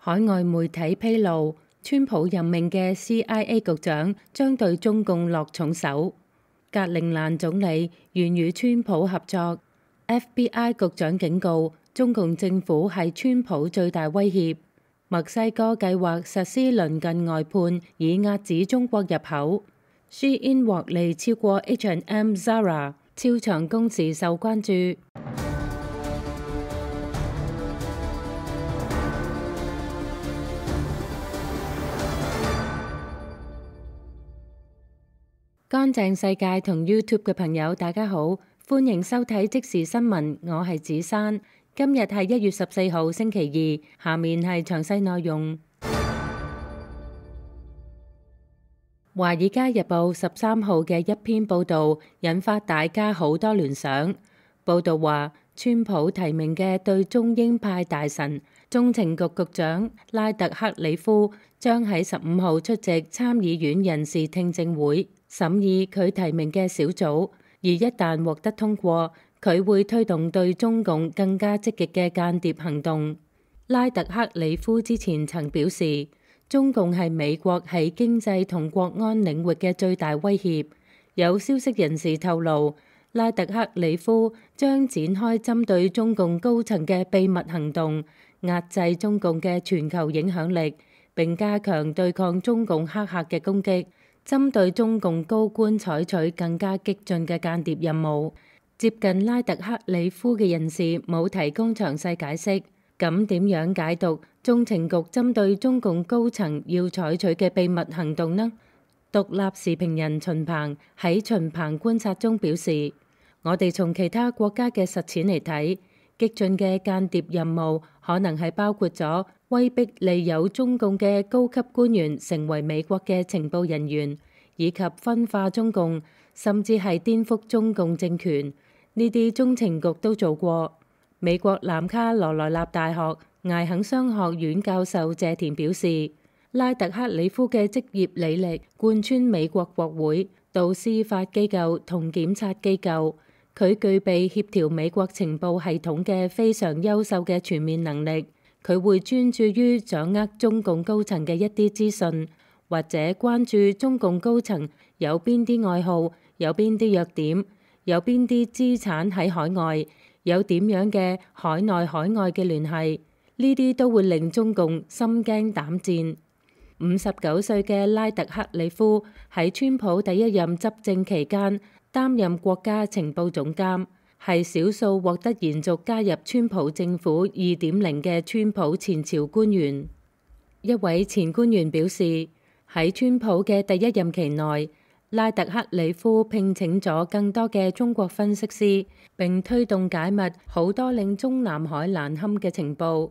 海外媒體披露，川普任命嘅 CIA 局長將對中共落重手。格陵蘭總理願與川普合作。FBI 局長警告，中共政府係川普最大威脅。墨西哥計劃實施鄰近外判，以遏止中國入口。Shein 獲利超過 H&M、Zara， 超長工時受關注。乾淨世界同 YouTube 嘅朋友，大家好，歡迎收睇即時新聞，我係子珊。今日係1月14號星期二，下面係詳細內容。華爾街日報13號嘅一篇報導引發大家好多聯想。報導話，川普提名嘅對中鷹派大臣中情局局長拉特克里夫將喺15號出席參議院人事聽證會，審議佢提名嘅小組，而一旦獲得通過，佢會推動對中共更加積極嘅間諜行動。拉特克里夫之前曾表示，中共係美國喺經濟同國安領域嘅最大威脅。有消息人士透露，拉特克里夫將展開針對中共高層嘅秘密行動，壓制中共嘅全球影響力，並加強對抗中共黑客嘅攻擊。針對中共高官採取更加激進嘅間諜任務。接近拉特克里夫嘅人士冇提供詳細解釋。咁點樣解讀中情局針對中共高層要採取嘅秘密行動呢？獨立時評人秦鵬喺秦鵬觀察中表示，我哋從其他國家嘅實踐嚟睇，激進嘅間諜任務可能係包括咗威逼利誘中共嘅高級官員成為美國嘅情報人員，以及分化中共，甚至係顛覆中共政權。呢啲中情局都做過。美國南卡羅來納大學艾肯商學院教授謝田表示，拉特克里夫嘅職業履歷貫穿美國國會到司法機構同檢察機構，佢具備協調美國情報系統嘅非常優秀嘅全面能力。佢會專注於掌握中共高層嘅一啲資訊，或者關注中共高層有邊啲愛好，有邊啲弱點，有邊啲資產喺海外，有點樣嘅海內海外嘅聯繫，呢啲都會令中共心驚膽戰。59歲嘅拉特克里夫喺川普第一任執政期間擔任國家情報總監，係少數獲得延續加入川普政府2.0嘅川普前朝官員。一位前官員表示，喺川普嘅第一任期內，拉特克里夫聘請咗更多嘅中國分析師，並推動解密好多令中南海難堪嘅情報。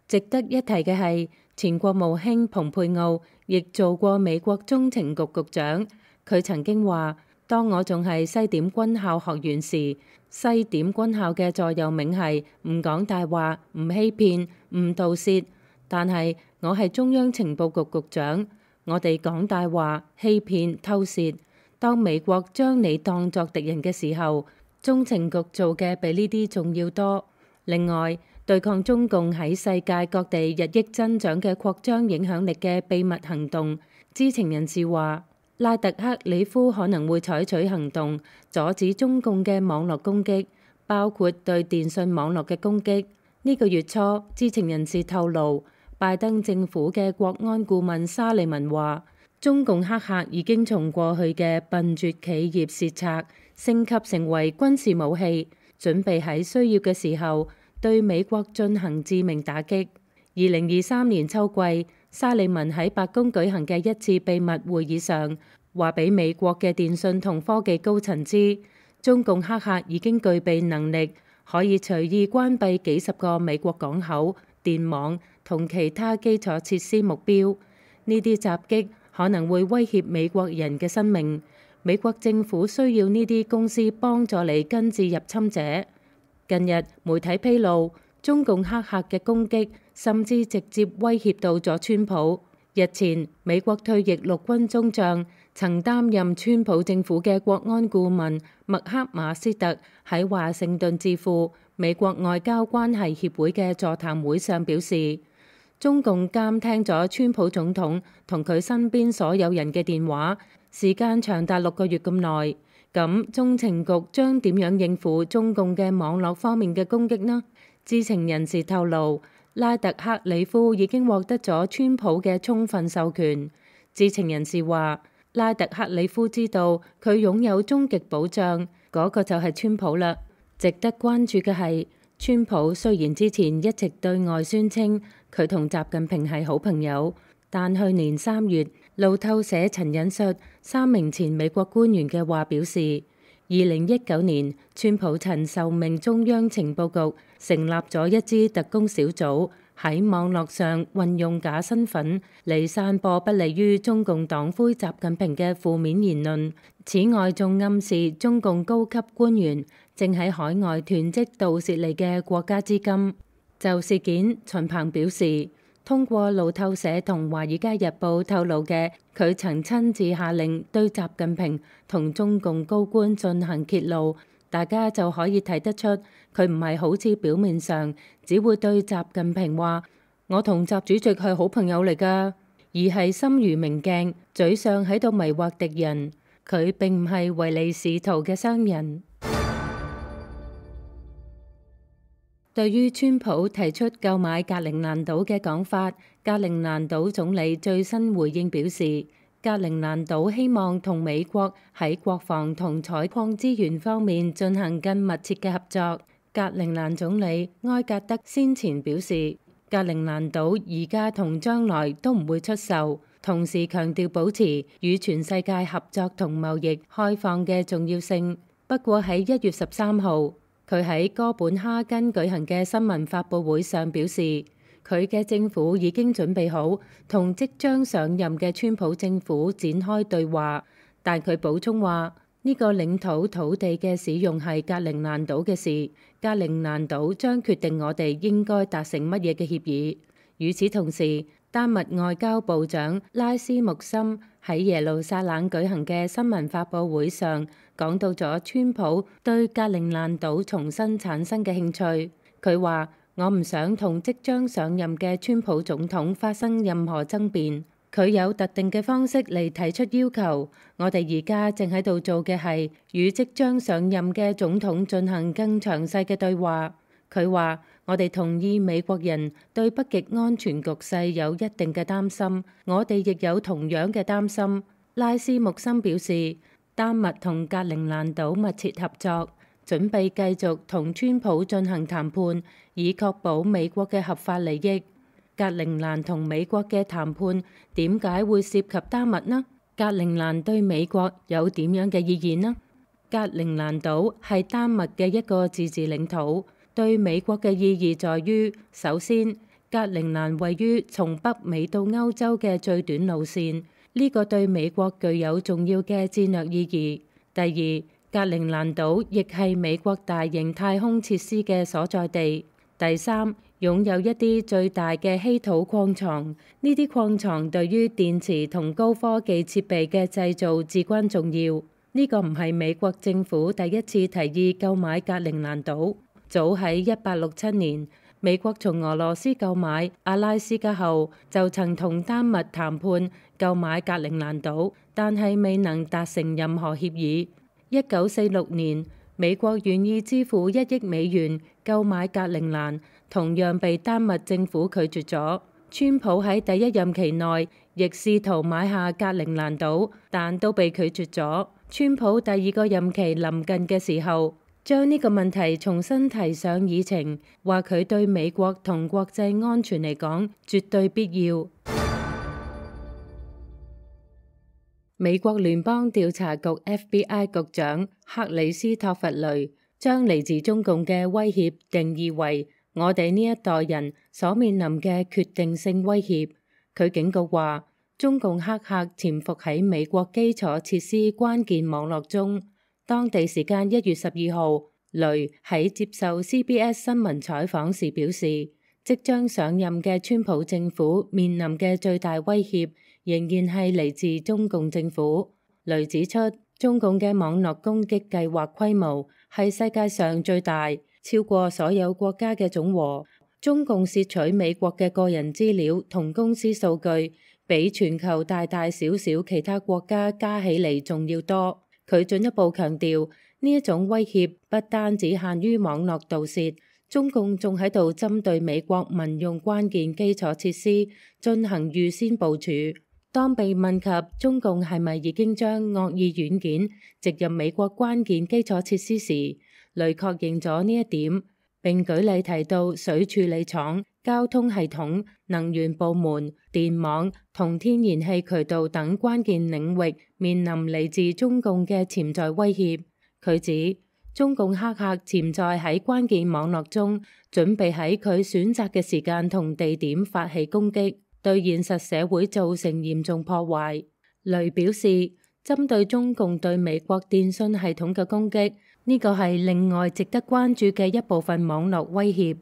值得一提嘅係，前國務卿蓬佩奧亦做過美國中情局局長。佢曾經話，當我仲係西點軍校學員時，西點軍校嘅座右銘係唔講大話、唔欺騙、唔盜竊。但係我係中央情報局局長，我哋講大話、欺騙、偷竊。當美國將你當作敵人嘅時候，中情局做嘅比呢啲仲要多。另外，對抗中共喺世界各地日益增長嘅擴張影響力嘅秘密行動，知情人士話，拉特克里夫可能會採取行動，阻止中共嘅網絡攻擊，包括對電信網絡嘅攻擊。呢個月初，知情人士透露，拜登政府嘅國安顧問沙利文話，中共黑客已經從過去嘅笨拙企業竊賊升級成為軍事武器，準備喺需要嘅時候對美國進行致命打擊。2023年秋季，沙利文喺白宮舉行嘅一次秘密會議上，話俾美國嘅電信同科技高層知，中共黑客已經具備能力，可以隨意關閉幾十個美國港口、電網同其他基礎設施目標。呢啲襲擊可能會威脅美國人嘅生命。美國政府需要呢啲公司幫助你根治入侵者。近日媒體披露，中共黑客嘅攻擊甚至直接威脅到咗川普。日前，美國退役陸軍中將曾擔任川普政府嘅國安顧問麥克馬斯特喺華盛頓智庫美國外交關係協會嘅座談會上表示，中共監聽咗川普總統同佢身邊所有人嘅電話，時間長達6個月咁耐。咁中情局將點樣應付中共嘅網絡方面嘅攻擊呢？知情人士透露，拉特克里夫已經獲得咗川普嘅充分授權。知情人士話，拉特克里夫知道佢擁有終極保障，嗰個就係川普啦。值得關注嘅係，川普雖然之前一直對外宣稱佢同習近平係好朋友，但去年3月，路透社曾引述3名前美國官員嘅話表示，2019年川普曾受命中央情報局成立咗一支特工小組，喺網絡上運用假身份嚟散播不利於中共黨魁習近平嘅負面言論。此外，仲暗示中共高級官員正喺海外囤積盜竊嚟嘅國家資金。就事件，秦鵬表示，通過路透社同《華爾街日報》透露嘅，佢曾親自下令對習近平同中共高官進行揭露，大家就可以睇得出佢唔係好似表面上只會對習近平話我同習主席係好朋友嚟㗎，而係心如明鏡，嘴上喺度迷惑敵人。佢並唔係唯利是圖嘅商人。對於川普提出購買格陵蘭島嘅講法，格陵蘭島總理最新回應表示，格陵蘭島希望同美國喺國防同採礦資源方面進行更密切嘅合作。格陵蘭總理埃格德先前表示，格陵蘭島而家同將來都唔會出售，同時強調保持與全世界合作同貿易開放嘅重要性。不過喺1月13號，佢喺哥本哈根舉行嘅新聞發佈會上表示，佢嘅政府已經準備好同即將上任嘅川普政府展開對話，但佢補充話，呢個領土土地嘅使用係格陵蘭島嘅事，格陵蘭島將決定我哋應該達成乜嘢嘅協議。與此同時，丹麥外交部長拉斯穆森喺耶路撒冷舉行嘅新聞發佈會上講到咗川普對格陵蘭島重新產生嘅興趣。佢話，我唔想同即將上任嘅川普總統發生任何爭辯，佢有特定嘅方式嚟提出要求。我哋而家正喺度做嘅係與即將上任嘅總統進行更詳細嘅對話。佢話，我哋同意美國人對北極安全局勢有一定嘅擔心，我哋亦有同樣嘅擔心。拉斯穆森表示，丹麥同格陵蘭島密切合作，準備繼續同川普進行談判，以確保美國嘅合法利益。格陵蘭同美國嘅談判點解會涉及丹麥呢？格陵蘭對美國有點樣嘅意義呢？格陵蘭島係丹麥嘅一個自治領土。對美國嘅意義在於，首先，格陵蘭位於從北美到歐洲嘅最短路線，呢個對美國具有重要嘅戰略意義。第二，格陵蘭島亦係美國大型太空設施嘅所在地。第三，擁有一啲最大嘅稀土礦藏，呢啲礦藏對於電池同高科技設備嘅製造至關重要。呢個唔係美國政府第一次提議購買格陵蘭島。早喺1867年，美國從俄羅斯購買阿拉斯加後，就曾同丹麥談判購買格陵蘭島，但係未能達成任何協議。1946年，美國願意支付1億美元購買格陵蘭，同樣被丹麥政府拒絕咗。川普喺第一任期內亦試圖買下格陵蘭島，但都被拒絕咗。川普第二個任期臨近嘅時候，將呢個問題重新提上議程，話佢對美國同國際安全嚟講絕對必要。美國聯邦調查局 FBI 局長克里斯托弗雷將嚟自中共嘅威脅定義為我哋呢一代人所面臨嘅決定性威脅。佢警告話，中共黑客潛伏喺美國基礎設施關鍵網絡中。當地時間1月12號，雷喺接受 CBS 新聞採訪時表示，即將上任嘅川普政府面臨嘅最大威脅仍然係嚟自中共政府。雷指出，中共嘅網絡攻擊計劃規模係世界上最大，超過所有國家嘅總和。中共竊取美國嘅個人資料同公司數據，比全球大大小小其他國家加起嚟仲要多。佢進一步強調，呢一種威脅不單只限於網絡盜竊，中共仲喺度針對美國民用關鍵基礎設施進行預先部署。當被問及中共係咪已經將惡意軟件植入美國關鍵基礎設施時，雷確認咗呢一點，並舉例提到水處理廠、交通系統、能源部門、電網同天然氣渠道等關鍵領域面臨嚟自中共嘅潛在威脅。佢指中共黑客潛在喺關鍵網絡中，準備喺佢選擇嘅時間同地點發起攻擊，對現實社會造成嚴重破壞。雷表示，針對中共對美國電信系統嘅攻擊，呢個係另外值得關注嘅一部分網絡威脅。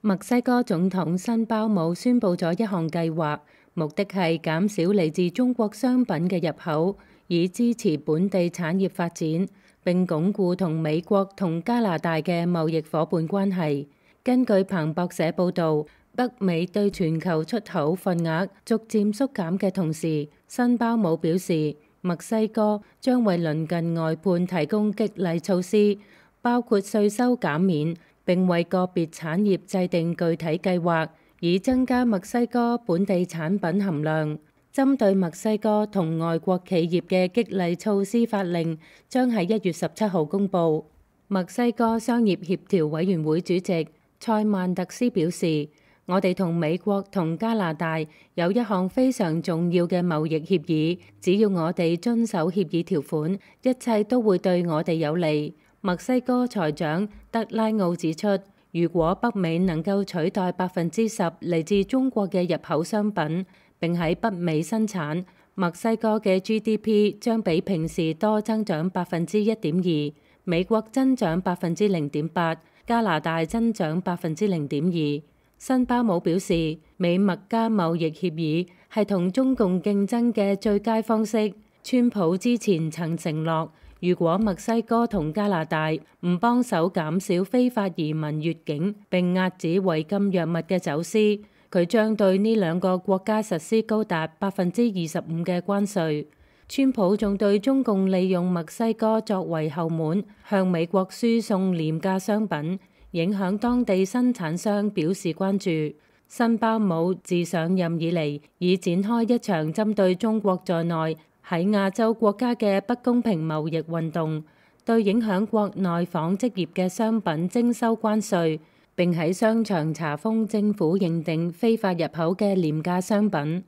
墨西哥總統辛鮑姆宣布咗一項計劃，目的係減少嚟自中國商品嘅入口，以支持本地產業發展，並鞏固同美國同加拿大嘅貿易夥伴關係。根據彭博社報導，北美對全球出口份額逐漸縮減嘅同時，辛鮑姆表示，墨西哥將為鄰近外判提供激勵措施，包括稅收減免，並為個別產業制定具體計劃，以增加墨西哥本地產品含量。針對墨西哥同外國企業嘅激勵措施法令將喺1月17號公佈。墨西哥商業協調委員會主席塞曼特斯表示，我哋同美國同加拿大有一項非常重要嘅貿易協議，只要我哋遵守協議條款，一切都會對我哋有利。墨西哥財長德拉奧指出，如果北美能夠取代10%嚟自中國嘅入口商品，並喺北美生產，墨西哥嘅 GDP 將比平時多增長1.2%，美國增長0.8%，加拿大增長0.2%。辛鮑姆表示，美墨加貿易協議係同中共競爭嘅最佳方式。川普之前曾承諾，如果墨西哥同加拿大唔幫手減少非法移民越境並遏止違禁藥物嘅走私，佢將對呢兩個國家實施高達25%嘅關稅。川普仲對中共利用墨西哥作為後門，向美國輸送廉價商品，影響當地生產商表示關注。辛鮑姆自上任以嚟，已展開一場針對中國在內喺亞洲國家嘅不公平貿易運動，對影響國內紡織業嘅商品徵收關稅，並喺商場查封政府認定非法入口嘅廉價商品。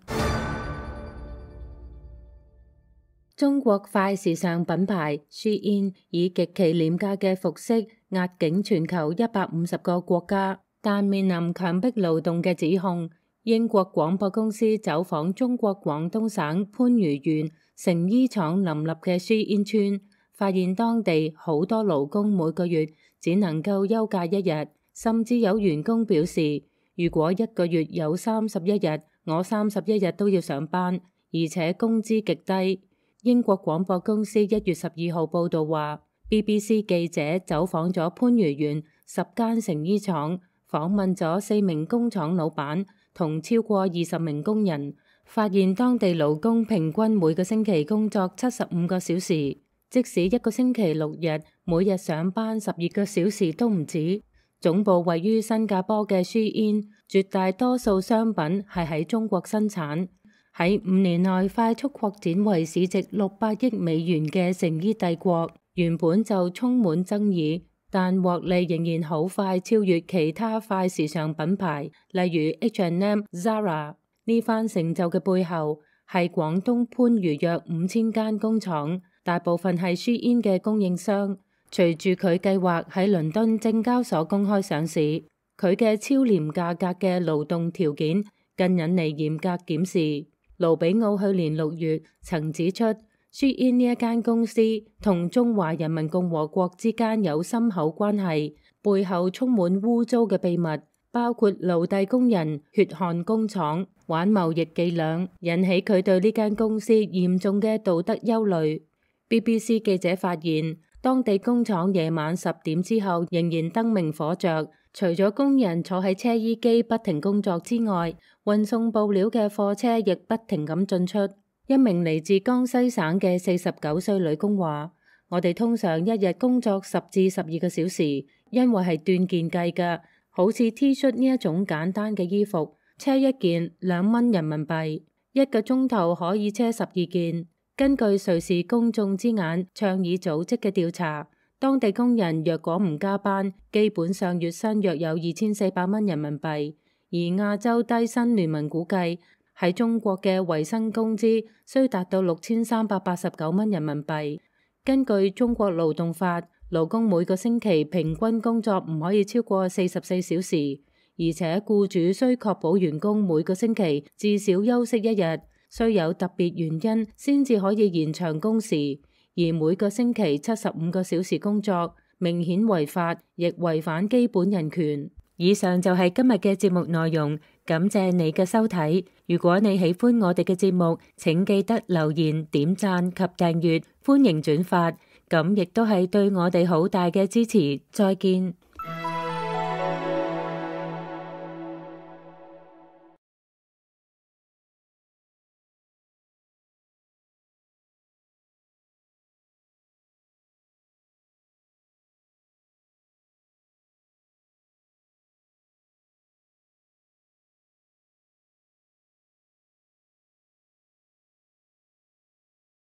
中國快時尚品牌 Shein 以極其廉價嘅服飾壓境全球150個國家，但面臨強迫勞動嘅指控。英國廣播公司走訪中國廣東省番禺縣成衣廠林立嘅 Shein 村，發現當地好多勞工每個月只能夠休假1日，甚至有員工表示，如果一個月有31日，我31日都要上班，而且工資極低。英國廣播公司1月12號報導話，BBC 記者走訪咗番禺縣10間成衣廠，訪問咗4名工廠老闆同超過20名工人，發現當地勞工平均每個星期工作75個小時，即使一個星期6日，每日上班12個小時都唔止。總部位於新加坡嘅 Shein，絕大多數商品係喺中國生產。喺5年內快速擴展為市值600億美元嘅成衣帝國，原本就充滿爭議，但獲利仍然好快超越其他快時尚品牌，例如 H&M、Zara。呢番成就嘅背後係廣東番禺約5000間工廠，大部分係 Shein 嘅供應商。隨住佢計劃喺倫敦證交所公開上市，佢嘅超廉價格嘅勞動條件更引嚟嚴格檢視。盧比奧去年6月曾指出，Shein 呢一間公司同中華人民共和國之間有深厚關係，背後充滿污糟嘅秘密，包括奴隸工人、血汗工廠、玩貿易伎倆，引起佢對呢間公司嚴重嘅道德憂慮。BBC 記者發現，當地工廠夜晚10點之後仍然燈明火着，除咗工人坐喺車衣機不停工作之外，運送布料嘅貨車亦不停咁進出。一名嚟自江西省嘅49歲女工話：我哋通常一日工作10至12個小時，因為係斷件計㗎，好似 T 恤呢一種簡單嘅衣服，車一件2蚊人民幣，1個鐘頭可以車12件。根據瑞士公眾之眼倡議組織嘅調查，當地工人若果唔加班，基本上月薪約有2400蚊人民幣。而亞洲低薪聯盟估計，喺中國嘅維薪工資需達到6389蚊人民幣。根據中國勞動法，勞工每個星期平均工作唔可以超過44小時，而且僱主需確保員工每個星期至少休息1日。需有特別原因先至可以延長工時，而每個星期75個小時工作明顯違法，亦違反基本人權。以上就係今日嘅節目內容，感謝你嘅收睇。如果你喜歡我哋嘅節目，請記得留言、點讚及訂閱，歡迎轉發，咁亦都係對我哋好大嘅支持。再見。